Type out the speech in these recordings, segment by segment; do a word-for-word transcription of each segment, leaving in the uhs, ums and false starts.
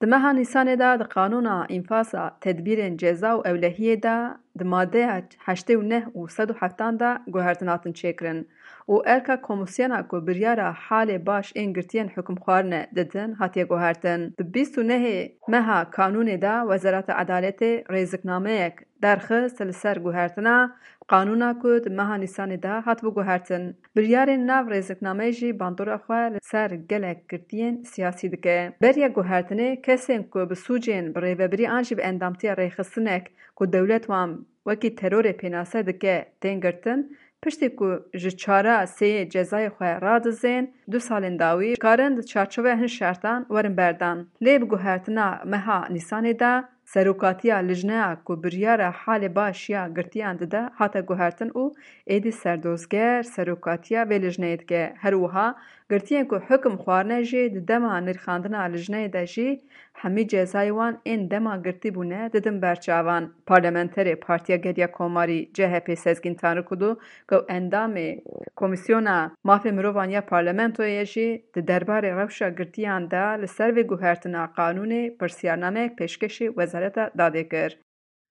Di meha Nîsanê de di Qanûna Înfaza Tedbîrên Ceza û Ewlehiyê de di madeya heştê û neh û sed û heftan de guhertin hatin çêkirin û erka komîsyona ku biryara halê baş ên girtiyên hukimxwarine didin hatiye guhertin. Di bîst û nehê meha Kanûnê de Wezareta Edaletê rêziknameyek derxist li ser guhertina qanûna ku di meha Nîsanê de hatibû guhertin. Biryarên nav rêziknameyê jî bandora xwe li ser gelek girtiyên siyasî dike. Beriya guhertinê kesên ku bi sûcên bi rêvebirî an jî bi endamtiya rêxistinek ku dewlet wan wekî terorê pênase dike tên girtin, piştî ku ji çara sêyê cezayê xwe radizên, du salên dawî dikarin di çarçoveya hin şertan werin berdan. Lê bi guhertina meha Nîsanê de Serokatiya lijneya ku biryara halê baş ya girtiyan dide hate guhertin û êdî Serdozger serokatiya vê lijneyê dike. Her wiha girtiyên ku hukim xwarine jî di dema nirxandina lijneyê de jî hemî cezayê wan ên dema girtî bûne didin ber çavan. Parlamenterê Partiya Geriya Komarî C H P Sezgîn Tanrikulu ku endamê Komîsyona Mafê Mirovan ya Parlamentoyê jî di derbarê rewşa girtiyan de li ser vê guhertina qanûnê pirsiyarnameyek pêşkêşî Wezareta Dadê kir.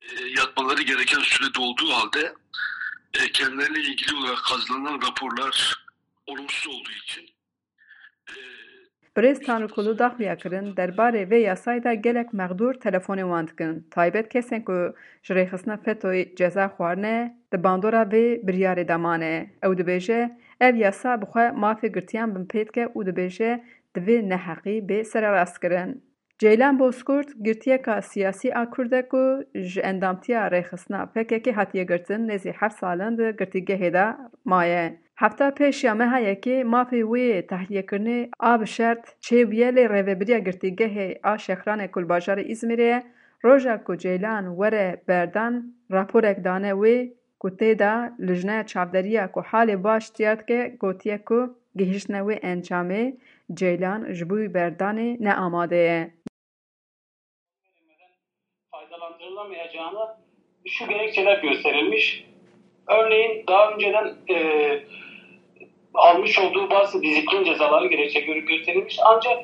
E, yatmaları gereken süre dolduğu halde e, kendilerine ilgili olarak hazırlanan raporlar olumsuz olduğu için e, Birêz Tanrikulu daxuya kirin, derbarê vê yasayê de gelek mexdûr telefonê wan dikin. Taybet kesên ku ji rêxistina FETOyê ceza xwarine, di bandora vê biryarê de mane. Ew dibêje, ev yasa bi xwe mafê girtiyan binpê dike û dibêje, divê neheqî bê sererastkirin. Ceylan Bozkurt girtiyeka siyasî a Kurd e ku ji endamtiya rêxistina P K K hatiye girtin, nêzî heft sal in di girtîgehê de maye. Hefta pêş ya meha yekê mafê wê yê tehliyekirinê a bi şert çêbûye, lê rêvebiriya girtîgehê a Şexranê ku li bajarê Îzmîrê ye, roja ku Ceylan were berdan raporek dane wê ku tê de lijneya çavderiya ku halê baş diyar dike gotiye ku gihiştine wê encamê Ceylan ji bo berdanê ne amade ye. Faydalandırılamayacağına şu gerekçeler gösterilmiş. Örneğin daha önceden e, almış olduğu bazı disiplin cezaları gerekçe gö- gösterilmiş. Ancak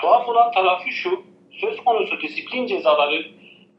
tuhaf olan tarafı şu, söz konusu disiplin cezaları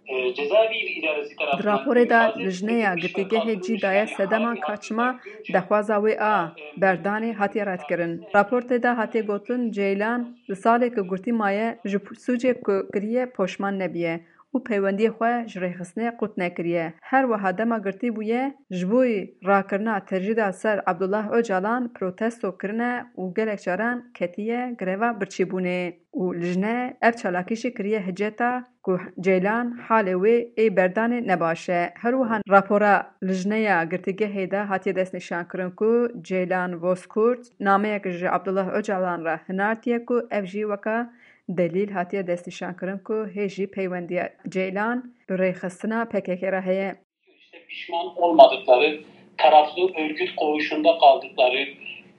e, cezaevi idaresi Di tarafından raporê de infaz lijneya etmediği girtîgehê cî daye sedema ka çima dexwaza wê a berdanê hatiye redkirin. Raportê de hatiye gotin, Ceylan li salê ku girtî maye ji sûcê ku kiriye poşman nebiye û peywendiyê xwe ji rêxistinê qut nekiriye. Her wiha dema girtî bûye, ji bo rakirina tecrîda ser Abdullah Ocalan protesto kirine û gelek caran ketiye greva birçîbûnê û lijne ev çalakî jî kiriye hiceta ku Ceylan halê wê ê berdanê ne baş e. Her wiha rapora lijneya girtîgehê de hatiye destnîşankirin ku Ceylan Bozkurt nameyek ji Abdullah Ocalan re hinartiye ku ev jî weka delîl hatiye destnîşankirin ku hê jî peywendiya Ceylan bi rêxistina P K K re heye. İşte pişman olmadıkları, taraflı örgüt koğuşunda kaldıkları,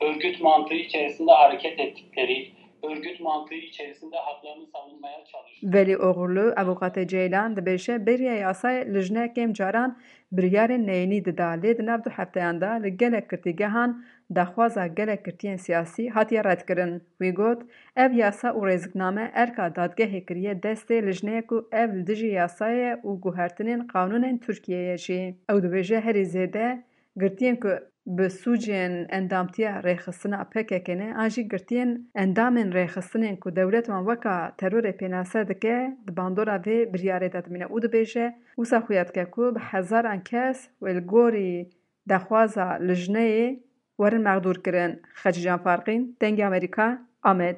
örgüt mantığı içerisinde hareket ettikleri, örgüt mantığı içerisinde haklarını savunmaya çalıştıkları. Velî Oxurlu, avûkatê Ceylan, dibêje beriya yasayê lijne kêm caran biryarên neyînî dida, lê di nav du hefteyan de li gelek girtîgehan daxwaza gelek girtiyên siyasî hatiye redkirin. Wî got, ev yasa û rêzikname erka dadgehê kiriye destê lijneyê ku ev li dijî yasayê ye û guhertinên qanûnên Tirkiyeyê ye jî. Ew dibêje herî zêde girtiyên ku bi sûcên endamtiya rêxistina P K K ne an jî girtiyên endamên rêxistinên ku dewlet wan weka terorê pênase dike, di bandora vê biryarê de dimîne û dibêje, wisa xuya dike ku bi hezaran kes wê li gorî daxwaza lijneyê werin mexdûr kirin. Xecîcan Farqîn, Dengê Amerîka, Amed.